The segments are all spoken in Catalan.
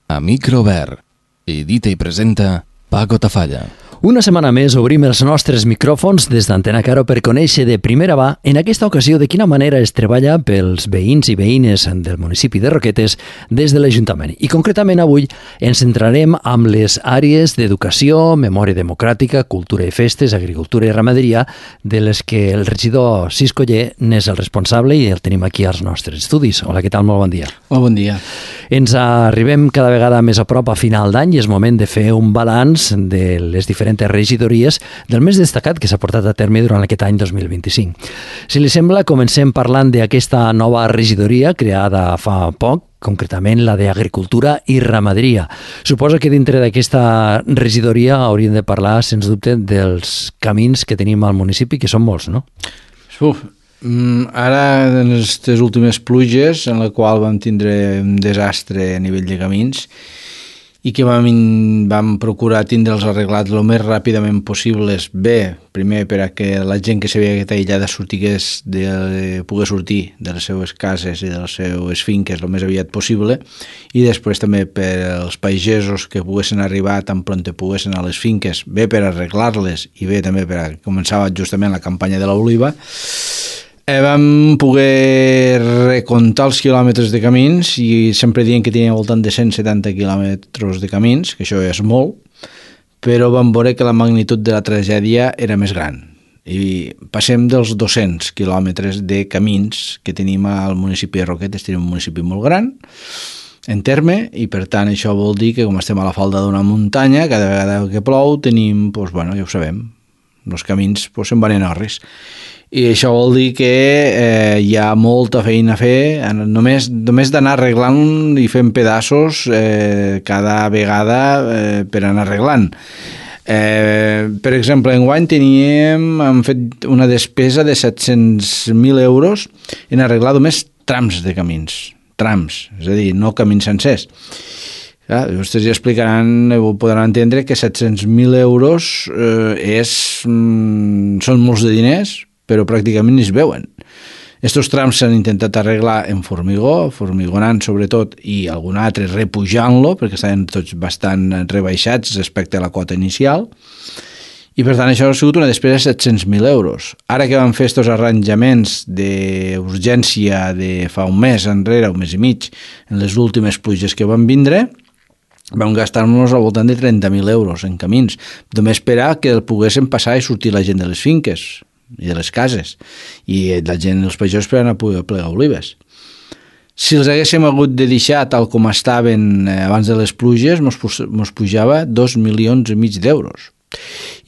A micro obert. Edita i presenta Paco Tafalla. Una setmana més obrim els nostres micròfons des d'Antena Caro per conèixer de primera mà, en aquesta ocasió, de quina manera es treballa pels veïns i veïnes del municipi de Roquetes des de l'Ajuntament. I concretament avui ens centrarem amb les àrees d'educació, memòria democràtica, cultura i festes, agricultura i ramaderia, de les que el regidor Cisco Oller n'és el responsable i el tenim aquí als nostres estudis. Hola, què tal? Molt bon dia. Molt bon dia. Ens arribem cada vegada més a prop a final d'any i és moment de fer un balanç de les diferents regidories del més destacat que s'ha portat a terme durant aquest any 2025. Si li sembla, comencem parlant d'aquesta nova regidoria creada fa poc, concretament la d'Agricultura i Ramaderia. Suposo que dintre d'aquesta regidoria hauríem de parlar, sens dubte, dels camins que tenim al municipi, que són molts, no? Ara, en aquestes últimes pluges, en la qual vam tindre un desastre a nivell de camins, i que vam procurar tindre'ls arreglats el més ràpidament possible, bé, primer per a que la gent que s'havia quedat aïllada pogués sortir de les seues cases i de les seues finques el més aviat possible, i després també per als pagesos que poguessin arribar tan prompte poguessin a les finques, bé per arreglar-les i bé també per a començava justament la campanya de l'oliva. Vam poder recomptar els quilòmetres de camins i sempre dient que tenia al voltant de 170 quilòmetres de camins, que això és molt, però vam veure que la magnitud de la tragèdia era més gran. I passem dels 200 quilòmetres de camins que tenim al municipi de Roquetes. Tenim un municipi molt gran en terme i per tant això vol dir que com estem a la falda d'una muntanya, cada vegada que plou tenim, ja ho sabem, els camins se'n van en orris. I això vol dir que hi ha molta feina a fer, només d'anar arreglant i fent pedaços cada vegada per anar arreglant. Per exemple, enguany hem fet una despesa de 700.000 euros en arreglar només trams de camins, és a dir, no camins sencers. Vostès ja explicaran, ho podran entendre, que 700.000 euros són molts de diners, però pràcticament ni es veuen. Estos trams s'han intentat arreglar en formigó, formigonant sobretot, i algun altre repujant-lo, perquè estaven tots bastant rebaixats respecte a la quota inicial, i per tant això ha sigut una despesa de 700.000 euros. Ara que vam fer estos arranjaments d'urgència de fa un mes enrere, un mes i mig, en les últimes pluges que van vindre, vam gastar-nos al voltant de 30.000 euros en camins, només esperar que el poguessin passar i sortir la gent de les finques i de les cases, i la gent, els pagesos, per anar a poder plegar olives. Si els haguéssim hagut de deixar tal com estaven abans de les pluges, mos pujava 2,5 milions d'euros.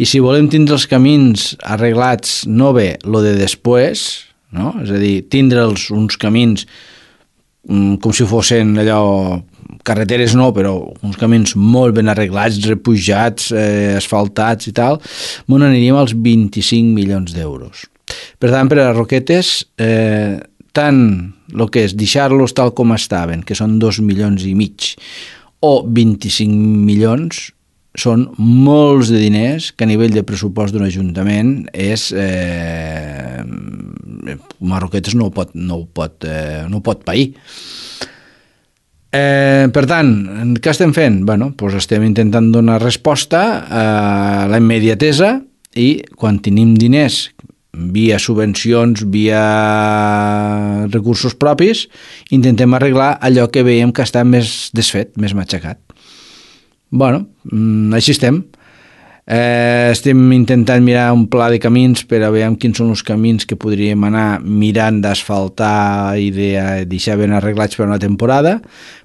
I si volem tindre els camins arreglats, no bé, lo de després, no? És a dir, tindre'ls uns camins com si fossin allò, carreteres no, però uns camins molt ben arreglats, repujats, asfaltats i tal, n'aniríem als 25 milions d'euros. Per tant, per a les Roquetes, tant el que és deixar-los tal com estaven, que són 2,5 milions, o 25 milions, són molts de diners que a nivell de pressupost d'un ajuntament és Roquetes no ho pot pair. Per tant, què estem fent? Estem intentant donar resposta a la immediatesa i quan tenim diners via subvencions, via recursos propis, intentem arreglar allò que veiem que està més desfet, més matxacat. Així estem. Estem intentant mirar un pla de camins per a veure quins són els camins que podríem anar mirant d'asfaltar i de deixar ben arreglats per una temporada,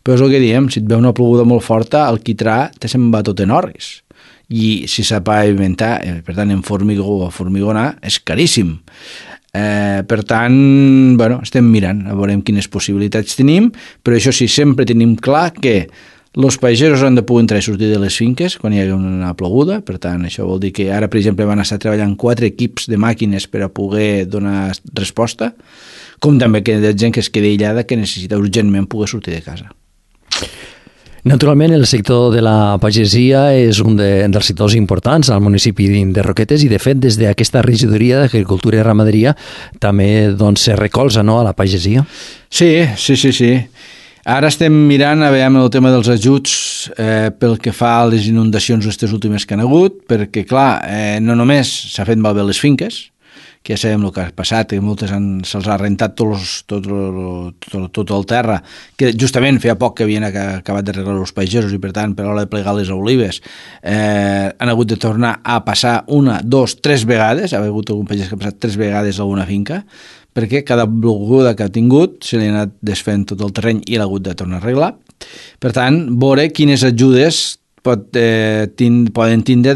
però és el que diem, si et ve una ploguda molt forta, el quitrà se'n va tot en orris. I si s'ha pavimentar, per tant, en formigó o formigonar, és caríssim. Per tant, estem mirant, a veure quines possibilitats tenim, però això sí, sempre tenim clar que els pagesos han de poder entrar i sortir de les finques quan hi hagi una ploguda, per tant, això vol dir que ara, per exemple, van estar treballant 4 equips de màquines per a poder donar resposta, com també que hi ha gent que es queda aïllada que necessita urgentment poder sortir de casa. Naturalment, el sector de la pagesia és un dels sectors importants al municipi de Roquetes i, de fet, des d'aquesta regidoria d'Agricultura i Ramaderia també se recolza, no, a la pagesia? Sí. Ara estem mirant a veure el tema dels ajuts pel que fa a les inundacions aquestes últimes que han hagut, perquè, clar, no només s'ha fet malbé les finques, que ja sabem el que ha passat, que moltes se'ls ha rentat tot el terra, que justament feia poc que havien acabat d'arreglar els pagesos i, per tant, per l'hora de plegar les olives, han hagut de tornar a passar 1, 2, 3 vegades, ha hagut algun pagès que ha passat 3 vegades a una finca, perquè cada bloguda que ha tingut se li ha anat desfent tot el terreny i l'ha hagut de tornar a arreglar. Per tant, veure quines ajudes poden tindre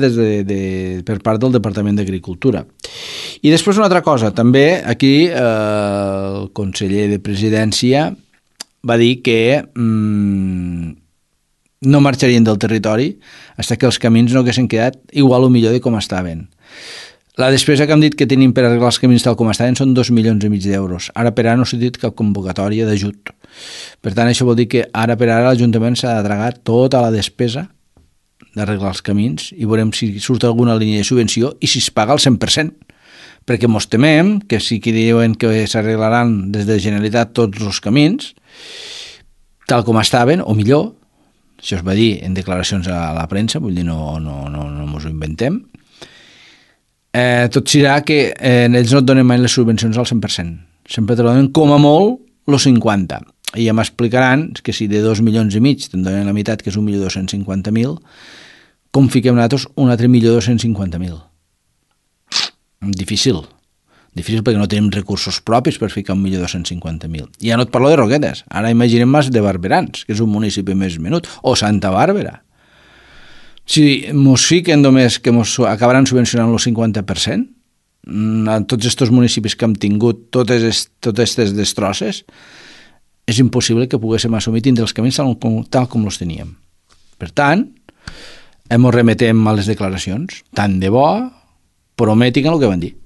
per part del Departament d'Agricultura. I després una altra cosa, també aquí el conseller de Presidència va dir que no marxarien del territori fins que els camins no haguessin quedat igual o millor de com estaven. La despesa que hem dit que tenim per arreglar els camins tal com estaven són 2,5 milions d'euros. Ara per ara no s'ha dit cap convocatòria d'ajut. Per tant, això vol dir que ara per ara l'Ajuntament s'ha de tragar tota la despesa d'arreglar els camins i veurem si surt alguna línia de subvenció i si es paga al 100%, perquè mos temem que sí que diuen que s'arreglaran des de Generalitat tots els camins tal com estaven o millor, això es va dir en declaracions a la premsa, vull dir no mos ho inventem, tot serà que ells no et donen mai les subvencions al 100%, sempre te donen com a molt els 50%. I ja m'explicaran que si de 2,5 milions te'n donen la meitat, que és 1.250.000, com fiquem nosaltres un altre 1.250.000? Difícil perquè no tenim recursos propis per ficar 1.250.000. Ja no et parlo de Roquetes, ara imaginem més de Barberans, que és un municipi més menut, o Santa Bàrbara. Si mos fiquen només que mos acabaran subvencionant el 50%, a tots aquests municipis que hem tingut totes aquestes destrosses, és impossible que poguéssim assumir tindre els camins tal com els teníem. Per tant, ens remetem a les declaracions. Tant de bo, prometin el que van dir.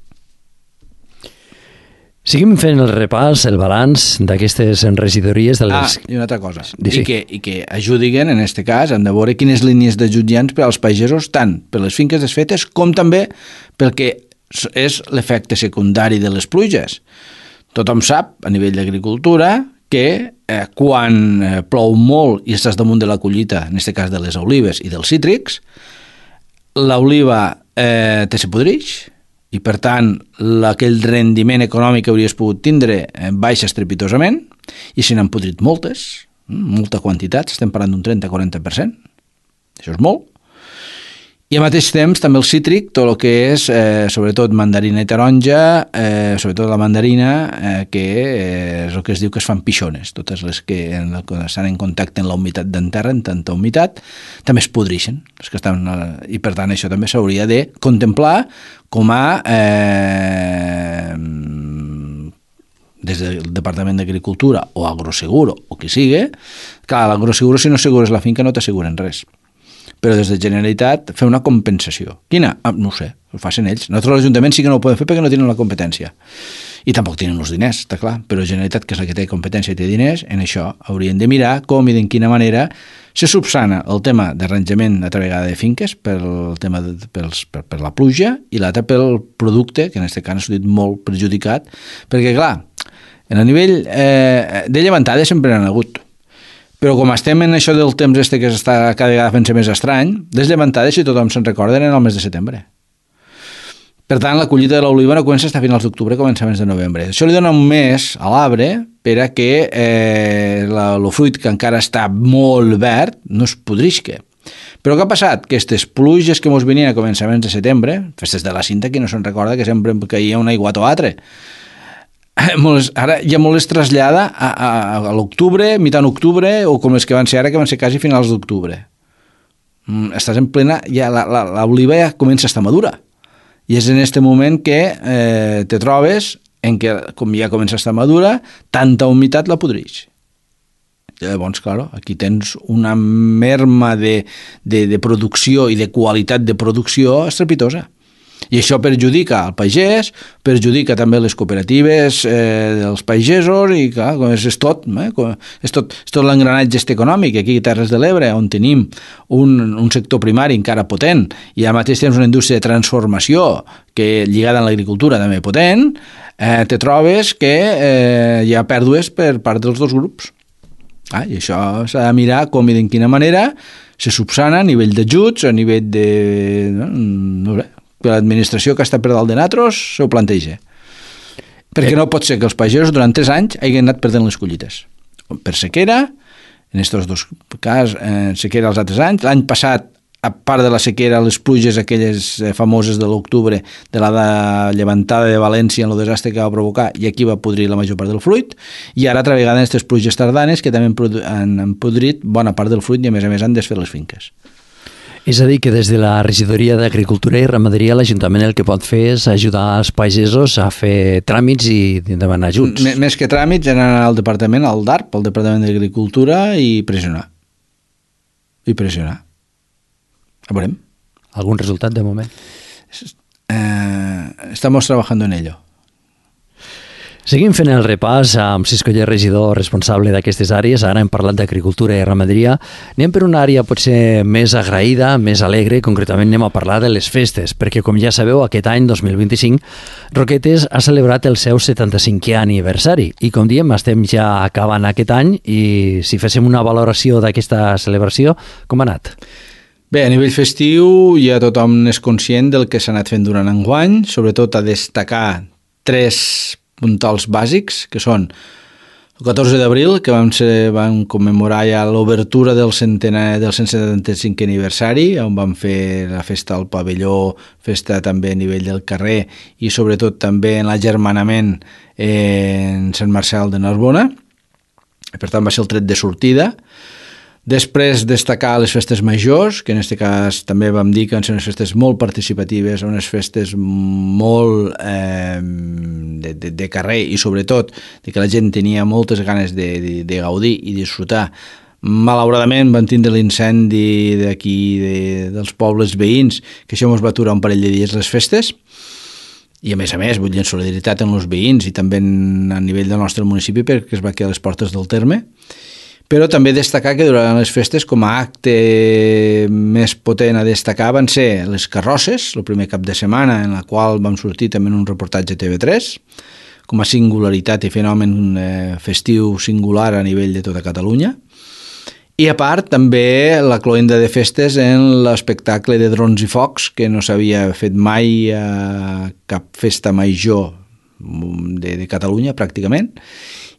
Seguim fent el repàs, el balanç d'aquestes regidories de les... I una altra cosa. I que ajudin, en aquest cas, hem de veure quines línies d'ajut hi ha per als pagesos, tant per les finques desfetes com també pel que és l'efecte secundari de les pluges. Tothom sap, a nivell d'agricultura, que quan plou molt i estàs damunt de la collita, en aquest cas de les olives i dels cítrics, l'oliva se podreix i, per tant, aquell rendiment econòmic que hauries pogut tindre baixa estrepitosament i se n'han podrit moltes, molta quantitat, estem parlant d'un 30-40%, això és molt. I al mateix temps també el cítric, tot el que és sobretot mandarina i taronja, sobretot la mandarina, que és el que es diu que es fan pixones, totes les que estan en contacte amb la humitat d'en terra, en tanta humitat, també es podreixen. I per tant això també s'hauria de contemplar com a des del Departament d'Agricultura o Agroseguro o qui sigui. Clar, l'Agroseguro si no assegures la finca no t'asseguren res, però des de Generalitat fer una compensació. Quina? No ho sé, ho facin ells. Nosaltres l'Ajuntament sí que no ho podem fer perquè no tenen la competència. I tampoc tenen els diners, està clar, però Generalitat, que és la que té competència i té diners, en això haurien de mirar com i de quina manera se subsana el tema d'arranjament altra vegada de finques per la pluja i l'altre pel producte, que en aquest cas ha sortit molt perjudicat, perquè clar, en el nivell de llevantades sempre n'han hagut. Però com estem en això del temps que està cada vegada fent-se més estrany, les llevantades, si tothom se'n recorda, eren el mes de setembre. Per tant, la collita de l'oliva no comença fins a finals d'octubre, comença abans de novembre. Això li dona un mes a l'arbre per a que el fruit, que encara està molt verd, no es podrisca. Però què ha passat? Que aquestes pluges que ens venien a començaments de setembre, festes de la cinta, qui no se'n recorda que sempre caia un aiguat o altre, ara ja molt es trasllada a l'octubre, mitjan octubre, o com les que van ser ara, que van ser quasi finals d'octubre. Estàs en plena, ja l'oliva ja comença a estar madura, i és en aquest moment que te trobes en què, com ja comença a estar madura, tanta humitat la podreix. Llavors, clar, aquí tens una merma de producció i de qualitat de producció estrepitosa. I això perjudica el pagès, perjudica també les cooperatives dels pagesos i clar, és tot l'engranatge econòmic. Aquí a Terres de l'Ebre, on tenim un sector primari encara potent i al mateix temps una indústria de transformació que lligada a l'agricultura també potent, te trobes que hi ha pèrdues per part dels dos grups. I això s'ha de mirar com i de quina manera se subsana a nivell d'ajuts, a nivell de... No sé, que l'administració que està per dalt de natros s'ho planteja. Perquè no pot ser que els pagesos durant 3 anys hagin anat perdent les collites. Per sequera, en aquests 2 casos, sequera els altres anys. L'any passat, a part de la sequera, les pluges aquelles famoses de l'octubre, de la llevantada de València en el desastre que va provocar, i aquí va podrir la major part del fruit, i ara altra vegada aquestes pluges tardanes que també han podrit bona part del fruit i a més han desfet les finques. És a dir, que des de la regidoria d'Agricultura i Ramaderia l'Ajuntament el que pot fer és ajudar els pagesos a fer tràmits i demanar ajuts. Més que tràmits, anar al departament, al DARP, al Departament d'Agricultura, i pressionar. A veurem. Algun resultat de moment? Estamos trabajando en ello. Seguim fent el repàs amb Cisco Oller, regidor responsable d'aquestes àrees. Ara hem parlat d'agricultura i ramaderia. Anem per una àrea potser més agraïda, més alegre. Concretament anem a parlar de les festes, perquè com ja sabeu, aquest any 2025 Roquetes ha celebrat el seu 75è aniversari i com diem estem ja acabant aquest any i si féssim una valoració d'aquesta celebració, com ha anat? Bé, a nivell festiu ja tothom és conscient del que s'ha anat fent durant enguany, sobretot a destacar 3 puntals bàsics, que són el 14 d'abril, que vam commemorar ja l'obertura del 175è aniversari, on vam fer la festa al pavelló, festa també a nivell del carrer i sobretot també en l'agermanament en Sant Marçal de Narbona. Per tant, va ser el tret de sortida. Després destacar les festes majors, que en aquest cas també vam dir que van ser unes festes molt participatives, unes festes molt de carrer i sobretot de que la gent tenia moltes ganes de gaudir i disfrutar. Malauradament van tindre l'incendi d'aquí dels pobles veïns, que això ens va aturar un parell de dies les festes, i a més, vull dir, en solidaritat amb els veïns i també a nivell del nostre municipi perquè es va quedar a les portes del terme. Però també destacar que durant les festes, com a acte més potent a destacar, van ser les carrosses, el primer cap de setmana, en la qual vam sortir també en un reportatge TV3, com a singularitat i fenomen festiu singular a nivell de tota Catalunya. I a part, també la cloenda de festes en l'espectacle de drons i focs, que no s'havia fet mai a cap festa major de Catalunya, pràcticament,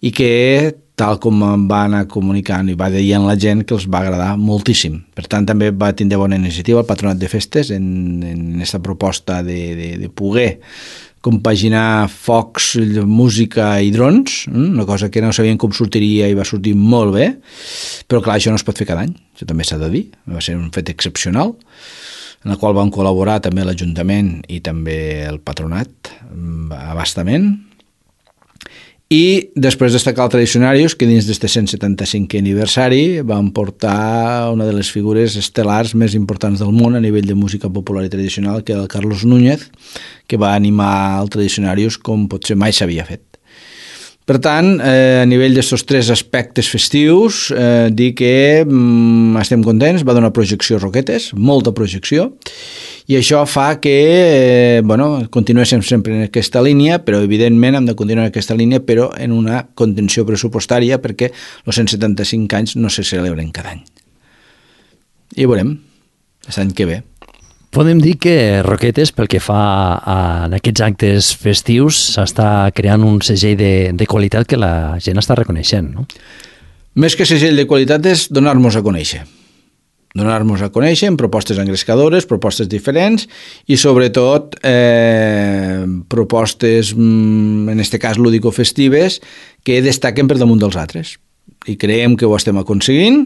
i que tal com va anar comunicant i va dient la gent que els va agradar moltíssim. Per tant, també va tindre bona iniciativa el Patronat de Festes en aquesta proposta de poder compaginar focs, música i drons, una cosa que no sabien com sortiria i va sortir molt bé, però clar, això no es pot fer cada any, això també s'ha de dir, va ser un fet excepcional, en el qual van col·laborar també l'Ajuntament i també el Patronat abastament. I després destacar el Tradicionarius, que dins d'este 175è aniversari van portar una de les figures estel·lars més importants del món a nivell de música popular i tradicional, que era el Carlos Núñez, que va animar el Tradicionarius com potser mai s'havia fet. Per tant, a nivell d'aquests 3 aspectes festius, dir que estem contents, va donar projecció a Roquetes, molta projecció, i això fa que continuéssim sempre en aquesta línia, però evidentment hem de continuar en aquesta línia, però en una contenció pressupostària, perquè els 175 anys no se celebren cada any. I veurem, l'any que ve. Podem dir que Roquetes, pel que fa a aquests actes festius, s'està creant un segell de qualitat que la gent està reconeixent, no? Més que segell de qualitat és donar-nos a conèixer. Donar-nos a conèixer amb propostes engrescadores, propostes diferents i sobretot propostes, en aquest cas lúdico-festives, que destaquen per damunt dels altres. I creiem que ho estem aconseguint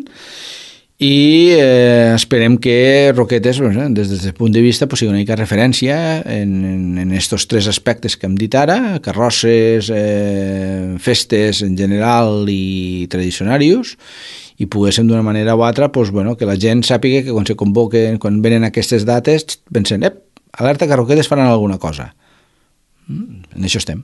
i esperem que Roquetes, des del punt de vista, sigui una mica referència en aquests 3 aspectes que hem dit ara, carrosses, festes en general i tradicionarius, i poguéssim d'una manera o altra que la gent sàpiga que quan se convoquen, quan venen aquestes dates, pensen, alerta que Roquetes faran alguna cosa. En això estem.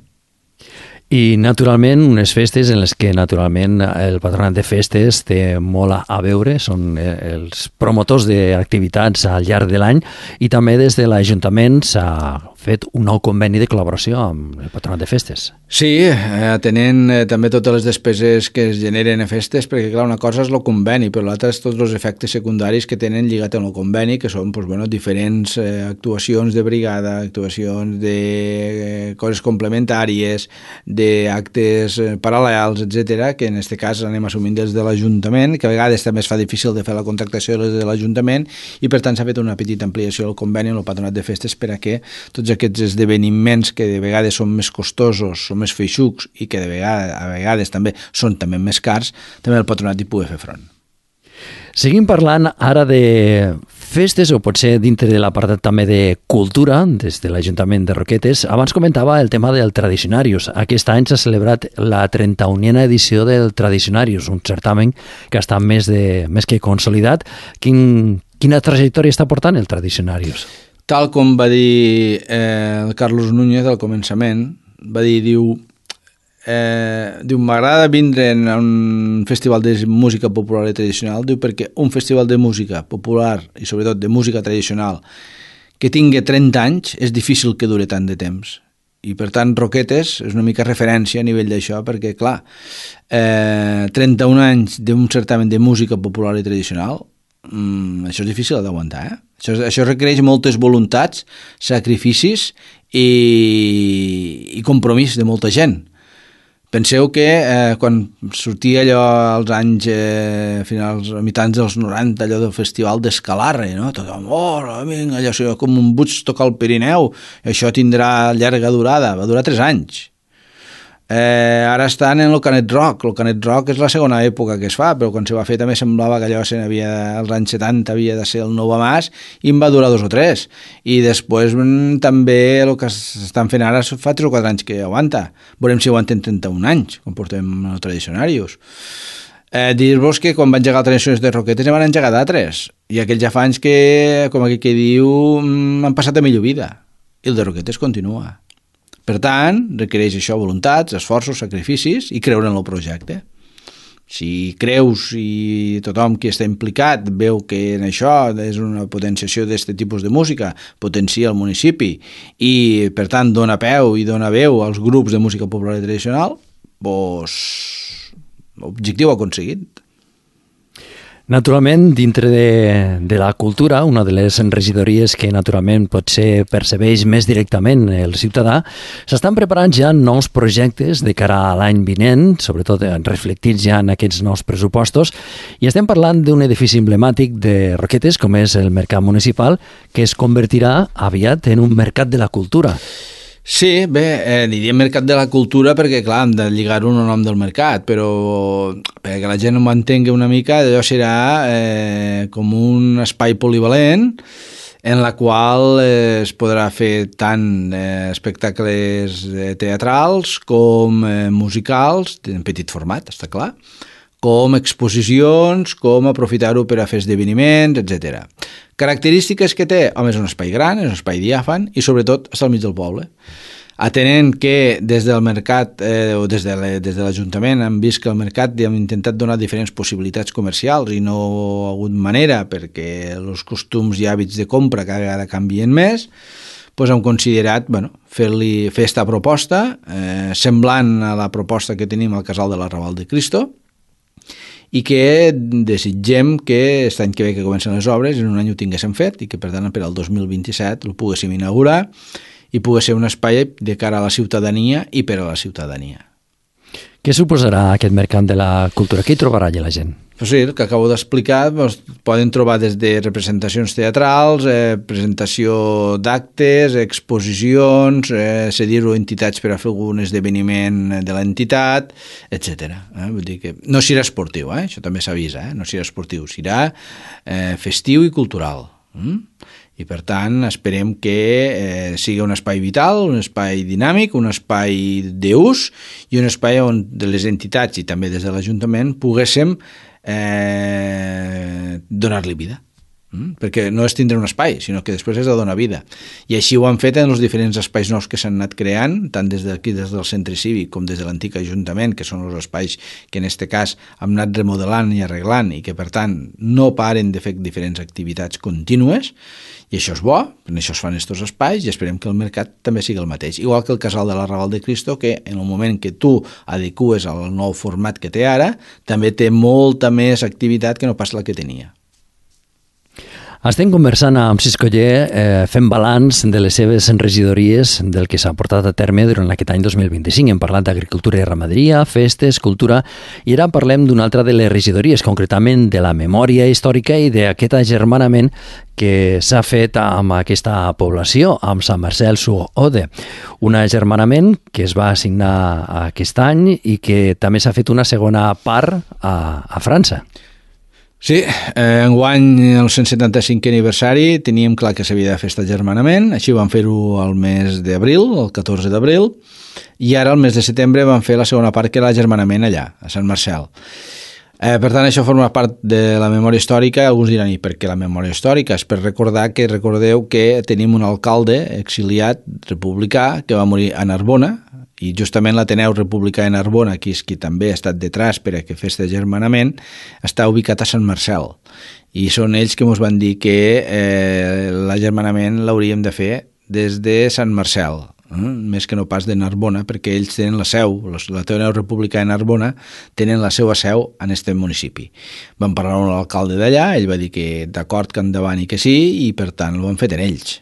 I, naturalment, unes festes en les que, naturalment, el Patronat de Festes té molt a veure, són els promotors d'activitats al llarg de l'any i també des de l'Ajuntament s'ha fet un nou conveni de col·laboració amb el Patronat de Festes. Sí, atenent també totes les despeses que es generen a festes, perquè clar, una cosa és el conveni, però l'altra és tots els efectes secundaris que tenen lligat amb el conveni, que són diferents actuacions de brigada, actuacions de coses complementàries, d'actes paral·lels, etc, que en aquest cas anem assumint des de l'Ajuntament, que a vegades també es fa difícil de fer la contractació des de l'Ajuntament, i per tant s'ha fet una petita ampliació del conveni amb el Patronat de Festes per a que tots aquests esdeveniments que de vegades són més costosos, són més feixucs i que a vegades també són també més cars, també el Patronat hi pugui fer front. Seguim parlant ara de festes, o potser dintre de l'apartat també de cultura, des de l'Ajuntament de Roquetes. Abans comentava el tema del Tradicionarius. Aquest any s'ha celebrat la 31a edició del Tradicionarius, un certamen que està més que consolidat. Quina trajectòria està portant el Tradicionarius? Tal com va dir el Carlos Núñez al començament, va dir, diu, m'agrada vindre a un festival de música popular i tradicional, diu, perquè un festival de música popular i sobretot de música tradicional que tingui 30 anys és difícil que dure tant de temps. I per tant Roquetes és una mica referència a nivell d'això, perquè clar, 31 anys d'un certamen de música popular i tradicional, això és difícil d'aguantar, Això requereix moltes voluntats, sacrificis i compromís de molta gent. Penseu que quan sortia allò als anys finals, a mitjans dels 90, allò del festival d'Escalarre, no? Tothom, vinga, allò com un buig tocar el Pirineu, això tindrà llarga durada, va durar 3 anys. Ara estan en el Canet Rock. El Canet Rock és la segona època que es fa, però quan se va fer també semblava que allò als anys 70 havia de ser el nou Mas, i en va durar 2 o 3, i després també el que estan fent ara fa 3 o 4 anys que aguanta. Veurem si aguanten 31 anys quan portem els Tradicionarius. Dir-vos que quan van engegar les Tradicionarius de Roquetes ne van engegar d'altres, i aquells ja fa anys que, com aquell que diu, han passat a millor vida, i el de Roquetes continua. Per tant, requereix això, voluntats, esforços, sacrificis i creure en el projecte. Si creus i tothom que està implicat veu que en això és una potenciació d'aquest tipus de música, potencia el municipi i, per tant, dona peu i dona veu als grups de música popular i tradicional, doncs, l'objectiu aconseguit. Naturalment, dintre de la cultura, una de les regidories que naturalment potser percebeix més directament el ciutadà, s'estan preparant ja nous projectes de cara a l'any vinent, sobretot reflectits ja en aquests nous pressupostos, i estem parlant d'un edifici emblemàtic de Roquetes, com és el Mercat Municipal, que es convertirà aviat en un mercat de la cultura. Sí, bé, li diem Mercat de la Cultura perquè, clar, hem de lligar-ho al nom del mercat, però perquè la gent ho entengui una mica, allò serà com un espai polivalent en la qual es podrà fer tant espectacles teatrals com musicals, en petit format, està clar, com exposicions, com aprofitar-ho per a fer esdeveniments, etc. Característiques que té, home, és un espai gran, és un espai diàfan i sobretot està al mig del poble. Atenent que des del mercat o des de l'Ajuntament hem vist que al mercat hem intentat donar diferents possibilitats comercials i no ha hagut manera perquè els costums i hàbits de compra cada vegada canvien més, doncs hem considerat fer aquesta proposta semblant a la proposta que tenim al Casal de l'Arrabal de Cristo, i que desitgem que aquest any que ve que comencen les obres en un any ho tinguéssim fet i que per tant per al 2027 el poguéssim inaugurar i pogués ser un espai de cara a la ciutadania i per a la ciutadania. Què suposarà aquest mercat de la cultura? Què hi trobarà allà la gent? Pues sí, el que acabo d'explicar, poden trobar des de representacions teatrals, presentació d'actes, exposicions, cedir-ho a entitats per a fer algun esdeveniment de l'entitat, etc. Vull dir que no serà esportiu, això també s'avisa, no serà esportiu, serà festiu i cultural. I per tant esperem que sigui un espai vital, un espai dinàmic, un espai d'ús i un espai on de les entitats i també des de l'Ajuntament poguéssim donar-li vida. perquè no és tindre un espai, sinó que després és de donar vida. I així ho han fet en els diferents espais nous que s'han anat creant, tant des d'aquí, des del centre cívic, com des de l'antic ajuntament, que són els espais que en aquest cas hem anat remodelant i arreglant i que, per tant, no paren de fer diferents activitats contínues, i això és bo, per això es fan aquests espais i esperem que el mercat també sigui el mateix. Igual que el Casal de la Raval de Cristo, que en el moment que tu adecues al nou format que té ara, també té molta més activitat que no pas la que tenia. Estem conversant amb Cis Coller, fent balanç de les seves regidories del que s'ha portat a terme durant aquest any 2025. Hem parlat d'agricultura i ramaderia, festes, cultura, i ara parlem d'una altra de les regidories, concretament de la memòria històrica i d'aquest agermanament que s'ha fet amb aquesta població, amb Sant Marcel sur Ode. Un agermanament que es va assignar aquest any i que també s'ha fet una segona part a França. Sí, enguany, el 175è aniversari, teníem clar que s'havia de fer aquest agermanament, així vam fer-ho al mes d'abril, el 14 d'abril, i ara, al mes de setembre, vam fer la segona part, que era l'agermanament allà, a Sant Marcel. Per tant, això forma part de la memòria històrica. Alguns diran, i per què la memòria històrica? És per recordar que recordeu que tenim un alcalde exiliat republicà que va morir a Narbona, i justament l'Ateneu Republicà de Narbona, que és qui també ha estat detrás per a que fes agermanament, està ubicat a Sant Marcel. I són ells que ens van dir que l'agermanament l'hauríem de fer des de Sant Marcel, més que no pas de Narbona, perquè ells tenen la seu, l'Ateneu Republicà de Narbona tenen la seva seu en aquest municipi. Vam parlar amb l'alcalde d'allà, ell va dir que d'acord, que endavant i que sí, i per tant ho han fet en ells.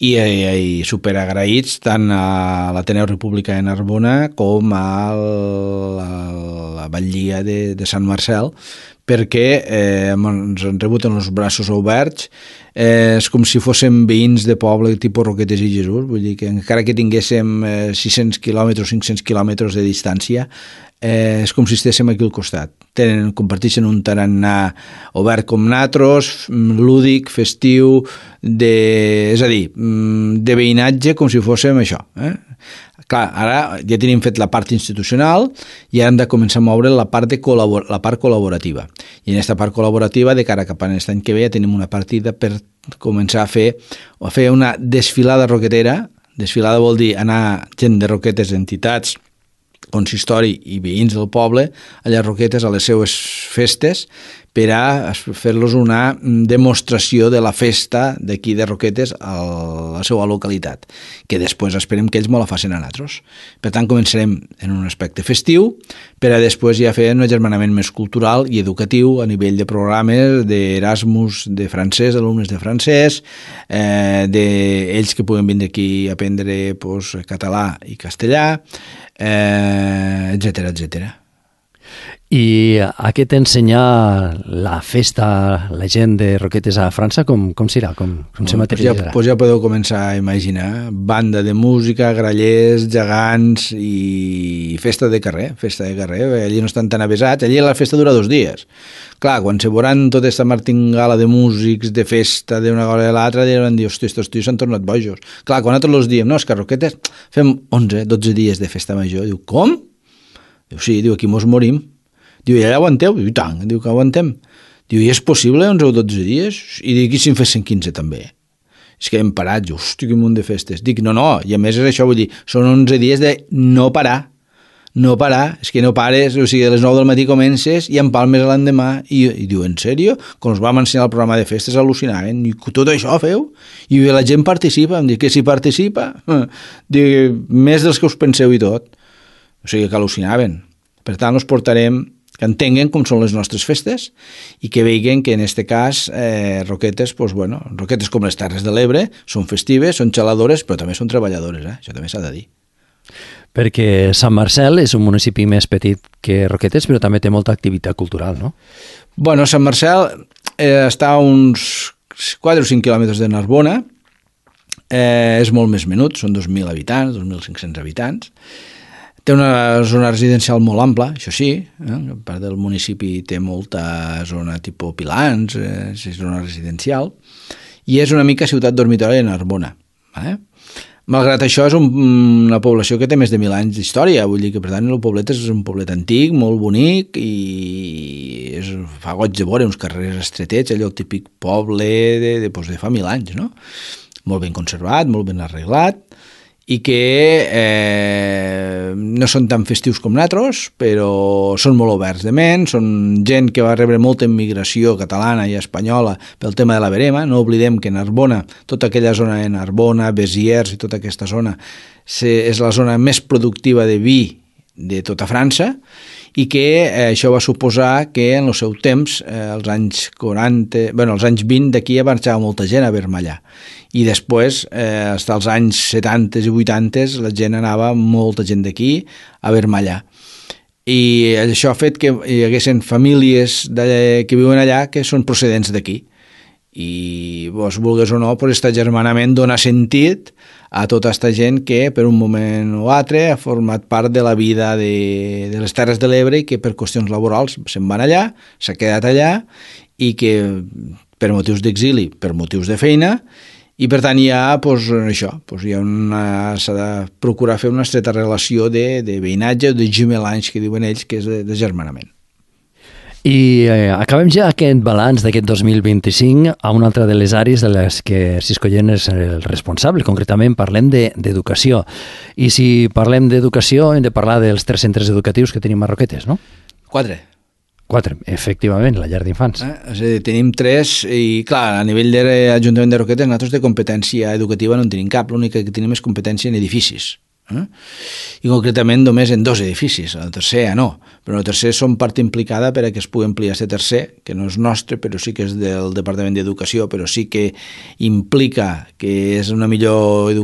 I superagraïts tant a l'Ateneu Republicà de Narbona com a la batllia de Sant Marcel, perquè ens han rebut en els braços oberts. És com si fóssim veïns de poble tipus Roquetes i Jesús, vull dir que encara que tinguéssim 600 quilòmetres, 500 quilòmetres de distància, és com si estéssim aquí al costat. Comparteixen un tarannà obert com natros, lúdic, festiu, és a dir, de veïnatge com si fóssim això. Clar, ara ja tenim fet la part institucional i hem de començar a moure la part col·laborativa. I en aquesta part col·laborativa, de cara cap a l'any que ve, ja tenim una partida per començar a fer una desfilada roquetera. Desfilada vol dir anar gent de Roquetes, entitats, consistori i veïns del poble a les Roquetes, a les seues festes, per a fer-los una demostració de la festa d'aquí de Roquetes a la seva localitat, que després esperem que ells me la facin a nosaltres. Per tant, començarem en un aspecte festiu, per a després ja fer un agermanament més cultural i educatiu a nivell de programes d'Erasmus de francès, alumnes de francès, d'ells que puguen vindre aquí a aprendre català i castellà, etcètera, etcètera. I a què t'ensenya la festa, la gent de Roquetes a França, com serà? Com se materialitzarà? Ja podeu començar a imaginar banda de música, grallers, gegants i festa de carrer. Allí no estan tan avesats, allí la festa dura 2 dies. Clar, quan se veuran tota aquesta martingala de músics, de festa, d'una cosa a l'altra, diran, hosti, estos tios s'han tornat bojos. Clar, quan nosaltres els diem, no, és que a Roquetes fem 11, 12 dies de festa major. Diu, com? Diu, sí, aquí mos morim. Diu, i allà aguanteu? Diu, i tant, diu que aguantem. Diu, i és possible 11 o 12 dies? I dic, i si en fessin 15 també? És que hem parat, diu, hosti, quin munt de festes. Dic, no, i a més és això, vull dir, són 11 dies de no parar, és que no pares, o sigui, a les 9 del matí comences i empalmes l'endemà, i diu, en sèrio? Quan us vam ensenyar el programa de festes al·lucinaven, i tot això feu? I la gent participa, em dic, que si participa? Dic, més dels que us penseu i tot. O sigui, que al·lucinaven. Per tant, us portarem que entenguen com són les nostres festes i que vegin que en aquest cas Roquetes, Roquetes com les Terres de l'Ebre, són festives, són xaladores, però també són treballadores, això també s'ha de dir. Perquè Sant Marcel és un municipi més petit que Roquetes, però també té molta activitat cultural, no? Bueno, Sant Marcel està a uns 4 o 5 quilòmetres de Narbona, és molt més menut, són 2.000 habitants, 2.500 habitants. Té una zona residencial molt ampla, això sí, a part del municipi té molta zona tipus pilans, és zona residencial, i és una mica ciutat dormitori de Narbona. Malgrat això, és una població que té més de 1.000 anys d'història, vull dir que, per tant, el poblet és un poblet antic, molt bonic, i fa goig de veure uns carrers estretets, allò típic poble de fa 1.000 anys, no? Molt ben conservat, molt ben arreglat, i que no són tan festius com nosaltres, però són molt oberts de ment, són gent que va rebre molta immigració catalana i espanyola pel tema de la verema. No oblidem que Narbona, tota aquella zona de Narbona, Béziers i tota aquesta zona és la zona més productiva de vi de tota França, i que això va suposar que en el seu temps, als anys 20 d'aquí marxava molta gent a Vermellà, i després, fins als anys 70 i 80, la gent anava, molta gent d'aquí, a Vermellà. I això ha fet que hi haguessin famílies que viuen allà que són procedents d'aquí. I, vulgues o no, aquest agermanament dona sentit a tota aquesta gent que per un moment o altre ha format part de la vida de les Terres de l'Ebre i que per qüestions laborals se'n van allà, s'ha quedat allà, i que per motius d'exili, per motius de feina, i per tant s'ha de procurar fer una estreta relació de veïnatge o de gemelanys, que diuen ells, que és de germanament. I acabem ja aquest balanç d'aquest 2025 a una altra de les àrees de les que Cisco Llena és el responsable. Concretament parlem d'educació. I si parlem d'educació hem de parlar dels 3 centres educatius que tenim a Roquetes, no? 4, efectivament, la llar d'infants. És a dir, tenim 3 i, clar, a nivell de l'Ajuntament de Roquetes nosaltres de competència educativa no en tenim cap, l'única que tenim és competència en edificis. I concretament només en 2 edificis, el tercer ja no, però el tercer som part implicada per a que es pugui ampliar aquest tercer, que no és nostre, però sí que és del Departament d'Educació, però sí que implica que és una millor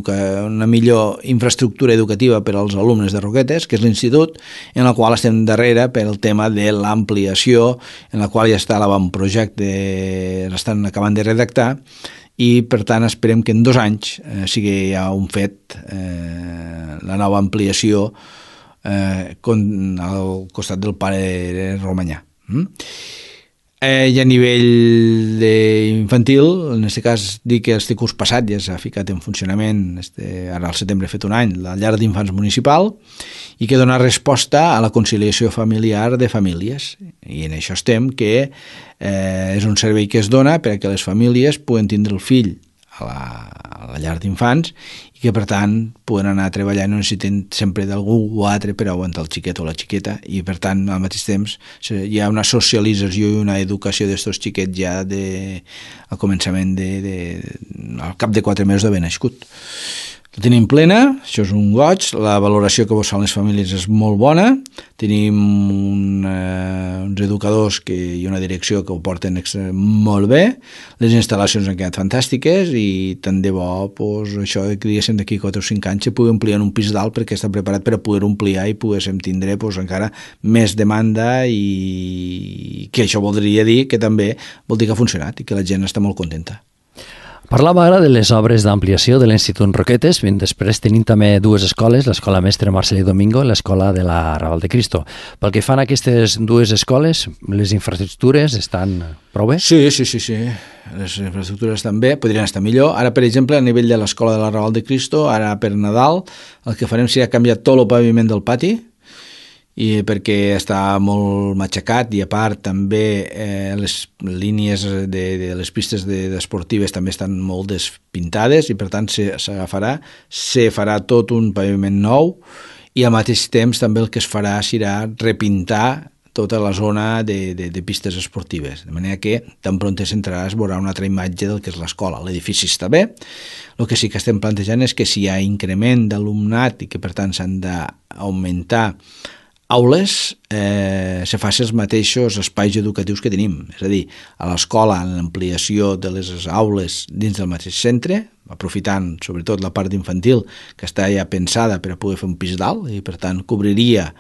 infraestructura educativa per als alumnes de Roquetes, que és l'institut, en la qual estem darrere per el tema de l'ampliació, en la qual ja està l'avantprojecte, l'estan acabant de redactar, i per tant esperem que en 2 anys sigui ja un fet la nova ampliació al costat del pare Romanyà. I a nivell infantil, en aquest cas dic que este curs passat ja s'ha ficat en funcionament, ara al setembre ha fet un any, la llar d'infants municipal, i que dona resposta a la conciliació familiar de famílies. I en això estem, que és un servei que es dona perquè les famílies puguen tindre el fill a la llar d'infants i que per tant poden anar a treballar, no necessiten sempre d'algú o altre per aguantar el xiquet o la xiqueta, i per tant al mateix temps hi ha una socialització i una educació d'estos xiquets ja al començament al cap de 4 mesos d'haver nascut. La tenim plena, això és un goig, la valoració que vos fan les famílies és molt bona, tenim uns educadors i una direcció que ho porten molt bé, les instal·lacions han quedat fantàstiques i tant de bo, això que diguéssim d'aquí 4 o 5 anys se pugui ampliar en un pis dalt perquè està preparat per a poder ampliar i poguéssim tindre encara més demanda, i que això voldria dir que també vol dir que ha funcionat i que la gent està molt contenta. Parlava ara de les obres d'ampliació de l'Institut Roquetes, després tenim també 2 escoles, l'escola Mestre Marcel i Domingo i l'escola de la Raval de Cristo. Pel que fan a aquestes 2 escoles, les infraestructures estan prou bé? Sí, les infraestructures estan bé, podrien estar millor. Ara, per exemple, a nivell de l'escola de la Raval de Cristo, ara per Nadal, el que farem serà canviar tot el paviment del pati, i perquè està molt matxacat, i a part també les línies de les pistes esportives també estan molt despintades, i per tant se farà tot un paviment nou, i al mateix temps també el que es farà serà repintar tota la zona de pistes esportives, de manera que tan pront s'entrarà es veurà una altra imatge del que és l'escola. L'edifici està bé, el que sí que estem plantejant és que si hi ha increment d'alumnat i que per tant s'han d'augmentar aules, se facin els mateixos espais educatius que tenim, és a dir, a l'escola, en l'ampliació de les aules dins del mateix centre, aprofitant sobretot la part infantil que està ja pensada per a poder fer un pis dalt, i per tant cobriria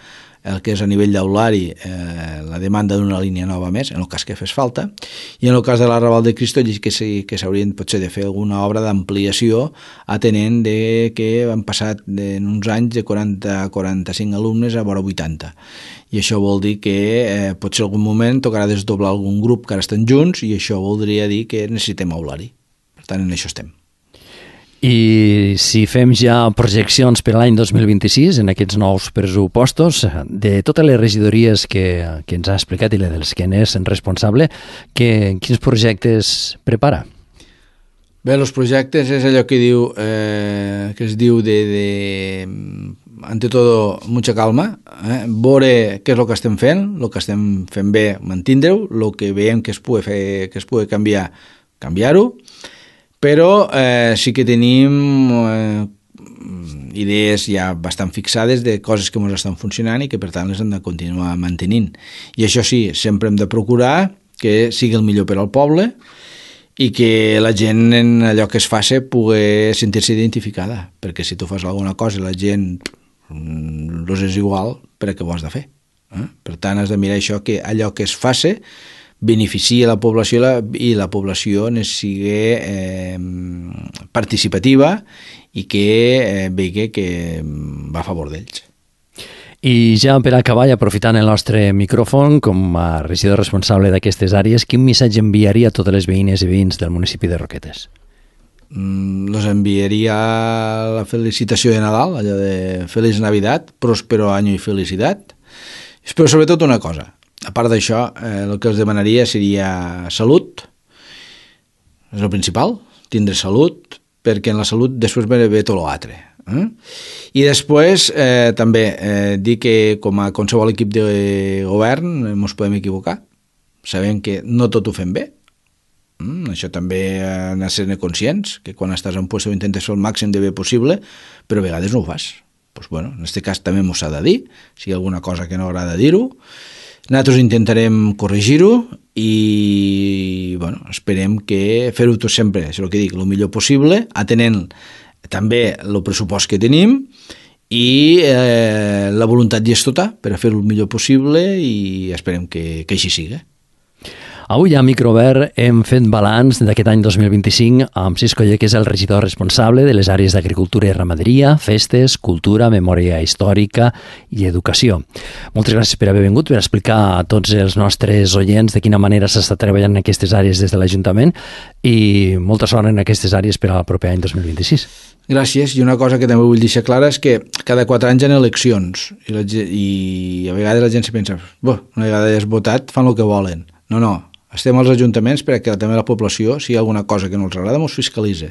el que és a nivell d'aulari la demanda d'una línia nova més, en el cas que fes falta, i en el cas de la Raval de Cristo que s'haurien potser de fer alguna obra d'ampliació, atenent que han passat en uns anys de 40 a 45 alumnes a vora 80. I això vol dir que potser en algun moment tocarà desdoblar algun grup que ara estan junts, i això voldria dir que necessitem aulari. Per tant, en això estem. I si fem ja projeccions per a l'any 2026, en aquests nous pressupostos, de totes les regidories que ens ha explicat i dels que n'és responsable, quins projectes prepara? Bé, els projectes és allò que es diu ante todo mucha calma, veure què és el que estem fent, el que estem fent bé, mantindre-ho, el que veiem que es pugui fer, que es pugui canviar, canviar-ho, però sí que tenim idees ja bastant fixades de coses que ens estan funcionant i que per tant les hem de continuar mantenint. I això sí, sempre hem de procurar que sigui el millor per al poble i que la gent en allò que es faci pugui sentir-se identificada, perquè si tu fas alguna cosa i la gent és igual, per què ho has de fer? Per tant, has de mirar això, que allò que es faci beneficia la població i la població sigui participativa i que vegi que va a favor d'ells. I ja per acabar, i aprofitant el nostre micròfon, com a regidor responsable d'aquestes àrees, quin missatge enviaria a totes les veïnes i veïns del municipi de Roquetes? Los enviaria la felicitació de Nadal, allò de Feliç Navidad, próspero año y felicidad. Però sobretot una cosa, a part d'això, el que els demanaria seria salut, és el principal, tindre salut, perquè en la salut després ve tot l'altre. I després també dir que com a qualsevol equip de govern ens podem equivocar, sabem que no tot ho fem bé, això també hem de ser conscients, que quan estàs en puesto intentes fer el màxim de bé possible, però a vegades no ho fas. Pues bueno, en aquest cas també m'ho s'ha de dir, si hi ha alguna cosa que no agrada dir-ho, nosaltres intentarem corregir-ho i bueno, esperem que fer-ho tot sempre, és el que dic, el millor possible, atenent també el pressupost que tenim i la voluntat ja és tota per a fer-ho el millor possible i esperem que així sigui. Avui a Microobert hem fet balanç d'aquest any 2025 amb Cisco Oller, que és el regidor responsable de les àrees d'agricultura i ramaderia, festes, cultura, memòria històrica i educació. Moltes gràcies per haver vingut, per explicar a tots els nostres oients de quina manera s'està treballant en aquestes àrees des de l'Ajuntament i molta sort en aquestes àrees per al proper any 2026. Gràcies, i una cosa que també vull deixar clara és que cada 4 anys hi ha eleccions i a vegades la gent se pensa una vegada ja has votat, fan el que volen. No, estem als ajuntaments perquè també la població, si hi ha alguna cosa que no els agrada, ens fiscalitza,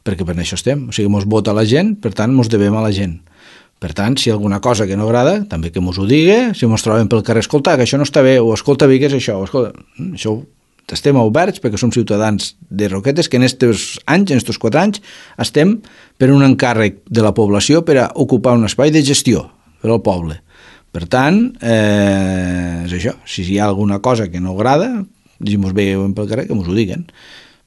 perquè per això estem, o sigui, ens vota la gent, per tant, ens devem a la gent. Per tant, si hi ha alguna cosa que no agrada, també que ens ho digui, si ens trobem pel carrer, escolta, que això no està bé, o escolta, bé, què és això? Això estem oberts perquè som ciutadans de Roquetes que en aquests anys, en aquests 4 anys, estem per un encàrrec de la població per a ocupar un espai de gestió per al poble. Per tant, és això, si hi ha alguna cosa que no agrada, diguem-nos bé pel carrer, que ens ho diguen.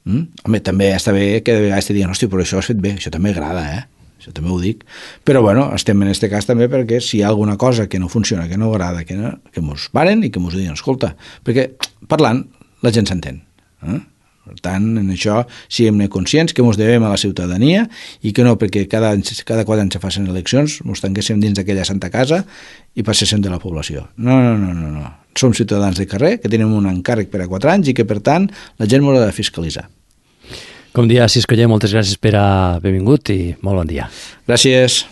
Home, també està bé que de vegades te diguen, hòstia, però això has fet bé, això també agrada, això també ho dic. Però bueno, estem en aquest cas també perquè si hi ha alguna cosa que no funciona, que no agrada, que ens paren i que ens diguen, escolta, perquè parlant la gent s'entén. Per tant, en això siguem conscients que ens devem a la ciutadania i que no perquè cada 4 anys se facin eleccions ens tanquéssim dins d'aquella santa casa i passéssim de la població. No. Som ciutadans de carrer que tenim un encàrrec per a 4 anys i que, per tant, la gent m'ho ha de fiscalitzar. Com dia, Cisco Oller, moltes gràcies per haver vingut i molt bon dia. Gràcies.